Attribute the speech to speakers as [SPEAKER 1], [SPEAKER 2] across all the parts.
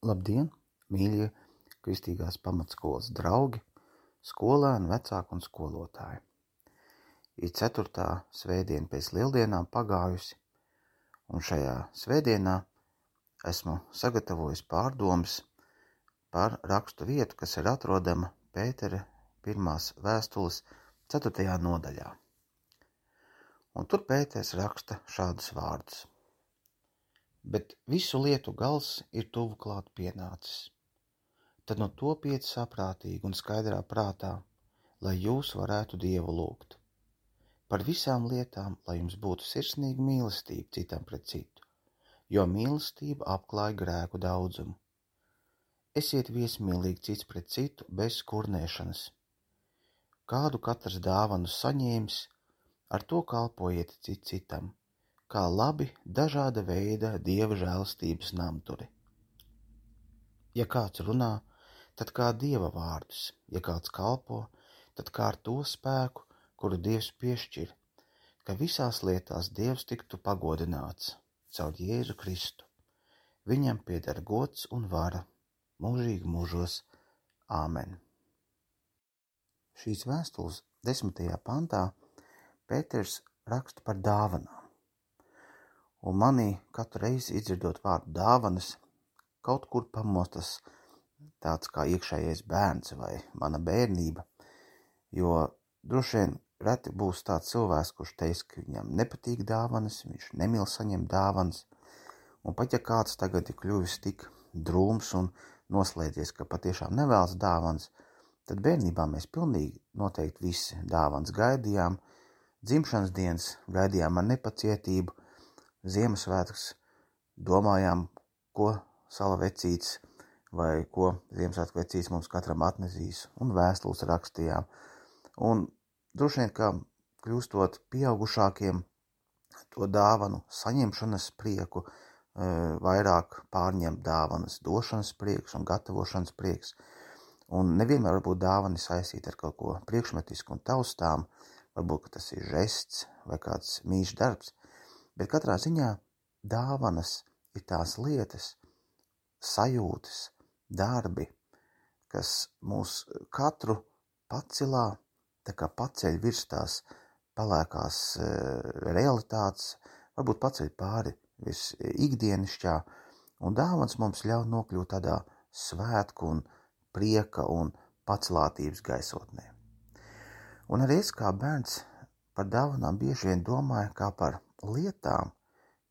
[SPEAKER 1] Labdien, mīļie kristīgās pamatskolas draugi, skolēni, vecāki un skolotāji. Ir 4. svētdiena pēc lieldienām pagājusi, un šajā svētdienā esmu sagatavojis pārdomas par rakstu vietu, kas ir atrodama Pētera 1. vēstules 4. nodaļā. Un tur Pēters raksta šādus vārdus. Bet visu lietu gals ir tuvu klāt pienācis. Tad nu topiet saprātīgi un skaidrā prātā, lai jūs varētu Dievu lūgt. Par visām lietām, lai jums būtu sirsnīga mīlestība citam pret citu, jo mīlestība apklāj grēku daudzumu. Esiet viesmīlīgi cits pret citu bez kurnēšanas. Kādu katrs dāvanu saņēmis, ar to kalpojiet citam, kā labi dažāda veida Dieva žēlastības namturi. Ja kāds runā, tad kā Dieva vārdus, ja kāds kalpo, tad kā ar to spēku, kuru Dievs piešķir, ka visās lietās Dievs tiktu pagodināts caur Jēzu Kristu. Viņam pieder gods un vara mūžīgi mūžos. Āmen. Šīs vēstules 10. pantā Pēters raksta par dāvanām. Un manī katru reizi izdzirdot vārdu dāvanas, kaut kur pamostas tāds kā iekšējais bērns vai mana bērnība, jo droši vien reti būs tāds cilvēks, kurš teiks, ka viņam nepatīk dāvanas, viņš nemīl saņemt dāvanas, un pat ja kāds tagad ir kļuvis tik drūms un noslēdzies, ka patiešām nevēlas dāvanas, tad bērnībā mēs pilnīgi noteikti visi dāvanas gaidījām, dzimšanas dienas gaidījām ar nepacietību, Ziemassvētkus domājām, ko sala vecīts vai ko Ziemassvētku vecīts mums katram atnesīs, un vēstules rakstījām. Un droši vien, ka kļūstot pieaugušākiem, to dāvanu saņemšanas prieku vairāk pārņem dāvanas došanas prieks un gatavošanas prieks. Un nevienmēr varbūt dāvani saistīt ar kaut ko priekšmetisku un taustām, varbūt, ka tas ir žests vai kāds mīļš darbs, bet katrā ziņā dāvanas ir tās lietas, sajūtas, darbi, kas mūs katru pacelā, tā kā paceļ virs tās palēkās realitātes, varbūt paceļ pāri virs ikdienišķā, un dāvans mums ļauj nokļūt tādā svētku un prieka un pacelātības gaisotnē. Un arī es kā bērns par dāvanām bieži vien domāju kā par lietām,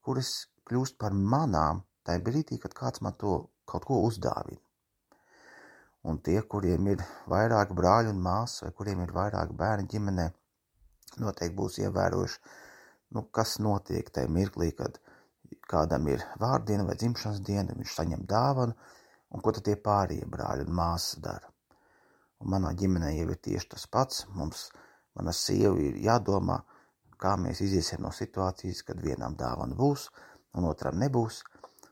[SPEAKER 1] kuras kļūst par manām tajā brīdī, kad kāds man to kaut ko uzdāvina. Un tie, kuriem ir vairāk brāļi un māsas, vai kuriem ir vairāk bērni ģimenē, noteikti būs ievērojuši, kas notiek tajā mirklī, kad kādam ir vārdiena vai dzimšanas diena, viņš saņem dāvanu, un ko tad tie pārējie brāļi un māsas dara. Un manā ģimenē jau ir tieši tas pats, mana sieva ir jādomā, kā mēs iziesim no situācijas, kad vienam dāvana būs un otram nebūs.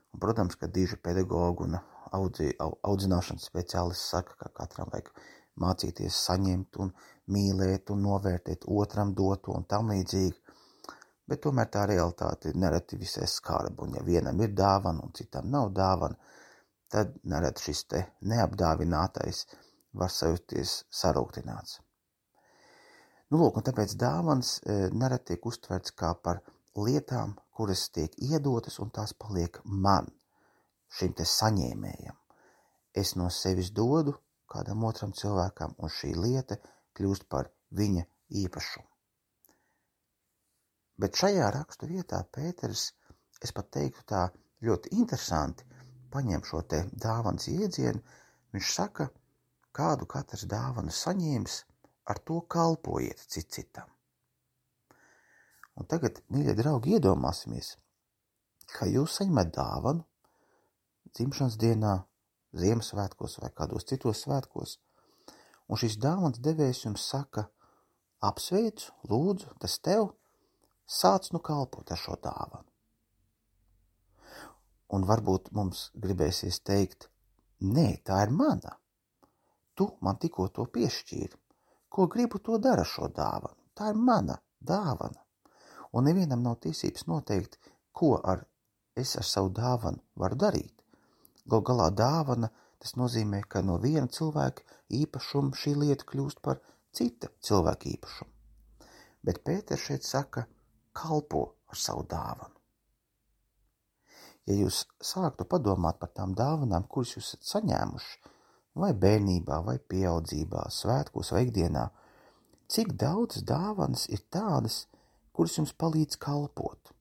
[SPEAKER 1] Un, protams, ka diži pedagogi un audzināšanas speciālisti saka, ka katram vajag mācīties saņemt un mīlēt un novērtēt otram doto un tam līdzīgi. Bet tomēr tā realitāte ir nereti visai skarba, un ja vienam ir dāvana un citam nav dāvana, tad nereti šis te neapdāvinātais var sajusties sarūktināts. Lūk, un tāpēc dāvanas nereti tiek uztverts kā par lietām, kuras tiek iedotas un tās paliek man, šim te saņēmējam. Es no sevis dodu kādam otram cilvēkam, un šī lieta kļūst par viņa īpašumu. Bet šajā rakstu vietā Pēters, es pat teiktu tā ļoti interesanti, paņem šo te dāvanas iedzienu, viņš saka, kādu katrs dāvanu saņēmis, ar to kalpojiet citam. Un tagad, mīļie draugi, iedomāsimies, ka jūs saņemat dāvanu dzimšanas dienā, Ziemassvētkos vai kādos citos svētkos, un šis dāvanas devējs jums saka, apsveicu, lūdzu, tas tev, sāc kalpot ar šo dāvanu. Un varbūt mums gribēsies teikt, nē, tā ir mana. Tu man tikko to piešķīri. Ko gribu, to dara šo dāvanu. Tā ir mana dāvana. Un nevienam nav tiesības noteikt, ko es ar savu dāvanu varu darīt. Gal galā dāvana, tas nozīmē, ka no viena cilvēka īpašuma šī lieta kļūst par cita cilvēka īpašumu. Bet Pēters šeit saka, kalpo ar savu dāvanu. Ja jūs sāktu padomāt par tām dāvanām, kuras jūs esat saņēmuši, vai bērnībā, vai pieaudzībā, svētkos vai ikdienā, cik daudz dāvanas ir tādas, kuras jums palīdz kalpot?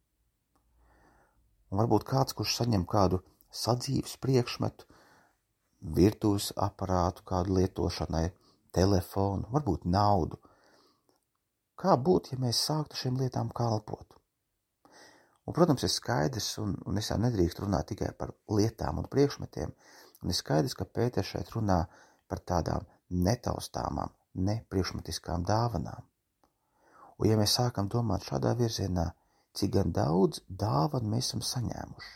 [SPEAKER 1] Un varbūt kāds, kurš saņem kādu sadzīves priekšmetu, virtuves aparātu kādu lietošanai, telefonu, varbūt naudu. Kā būtu, ja mēs sāktu šīm lietām kalpot? Un, protams, ir skaidrs, un es jau nedrīkst runāt tikai par lietām un priekšmetiem, un ir skaidrs, ka Pēters šeit runā par tādām netaustāmām, nepriekšmetiskām dāvanām. Un ja mēs sākam domāt šādā virzienā, cik gan daudz dāvanu mēs esam saņēmuši,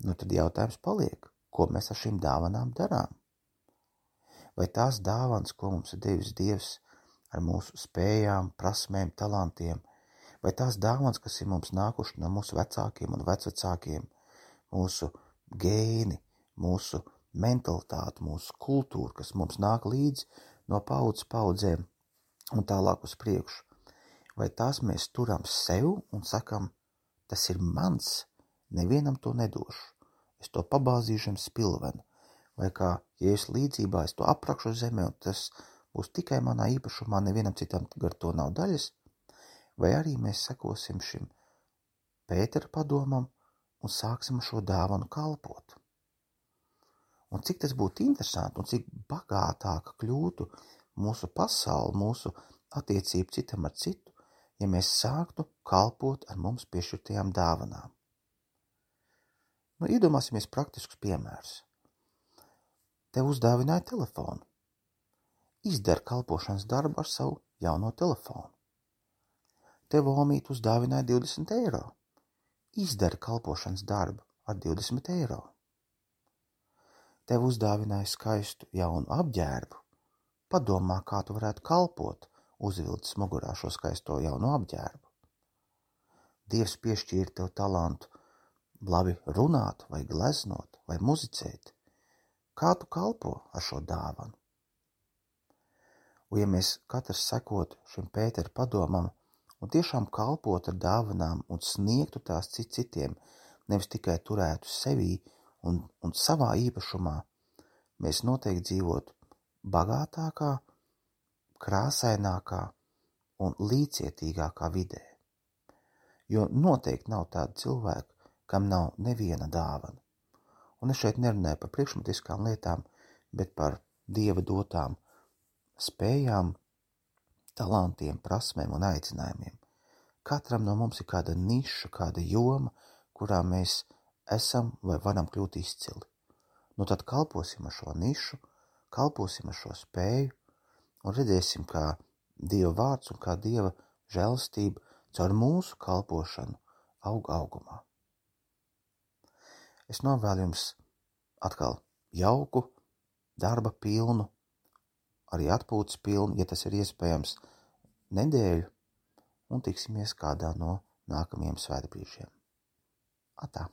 [SPEAKER 1] nu tad jautājums paliek, ko mēs ar šīm dāvanām darām? Vai tās dāvanas, ko mums ir devis Dievs ar mūsu spējām, prasmēm, talantiem, vai tās dāvanas, kas ir mums nākuši no mūsu vecākiem un vecvecākiem, mūsu gēni, mūsu mentalitāte, mūsu kultūra, kas mums nāk līdzi no paudzes paudzēm un tālāk uz priekšu, vai tās mēs turam sev un sakam, tas ir mans, nevienam to nedošu, es to pabāzīšu spilvenu, vai kā Jēzus līdzībā es to aprakšu zemē un tas būs tikai manā īpašumā, nevienam citam gar to nav daļas, vai arī mēs sekosim šim Pētera padomam un sāksim šo dāvanu kalpot. Un cik tas būtu interesanti un cik bagātāka kļūtu mūsu pasauli, mūsu attiecību citam ar citu, ja mēs sāktu kalpot ar mums piešķirtajām dāvanām. Nu, iedomāsimies praktiskus piemērus. Tev uzdāvināja telefonu. Izdara kalpošanas darbu ar savu jauno telefonu. Tev omīte uzdāvināja 20 eiro. Izdara kalpošanas darbu ar 20 eiro. Tev uzdāvināja skaistu jaunu apģērbu. Padomā, kā tu varētu kalpot, uzvilcis mugurā šo skaisto jaunu apģērbu. Dievs piešķīra tev talantu labi runāt vai gleznot vai muzicēt. Kā tu kalpo ar šo dāvanu? Un ja mēs katrs sekotu šim Pētera padomam un tiešām kalpot ar dāvanām un sniegtu tās citiem, nevis tikai turētu sevī un savā īpašumā, mēs noteikti dzīvotu bagātākā, krāsainākā un līdzcietīgākā vidē. Jo noteikti nav tāda cilvēka, kam nav neviena dāvana. Un es šeit nerunāju par priekšmetiskām lietām, bet par Dieva dotām spējām, talantiem, prasmēm un aicinājumiem. Katram no mums ir kāda niša, kāda joma, kurā mēs esam vai varam kļūt izcili. Nu tad kalposim ar šo nišu, kalposim ar šo spēju un redzēsim, kā Dieva vārds un kā Dieva žēlastība caur mūsu kalpošanu aug augumā. Es novēlu jums atkal jauku, darba pilnu, arī atpūtas pilnu, ja tas ir iespējams, nedēļu, un tiksimies kādā no nākamajiem svētbrīžiem. Atā!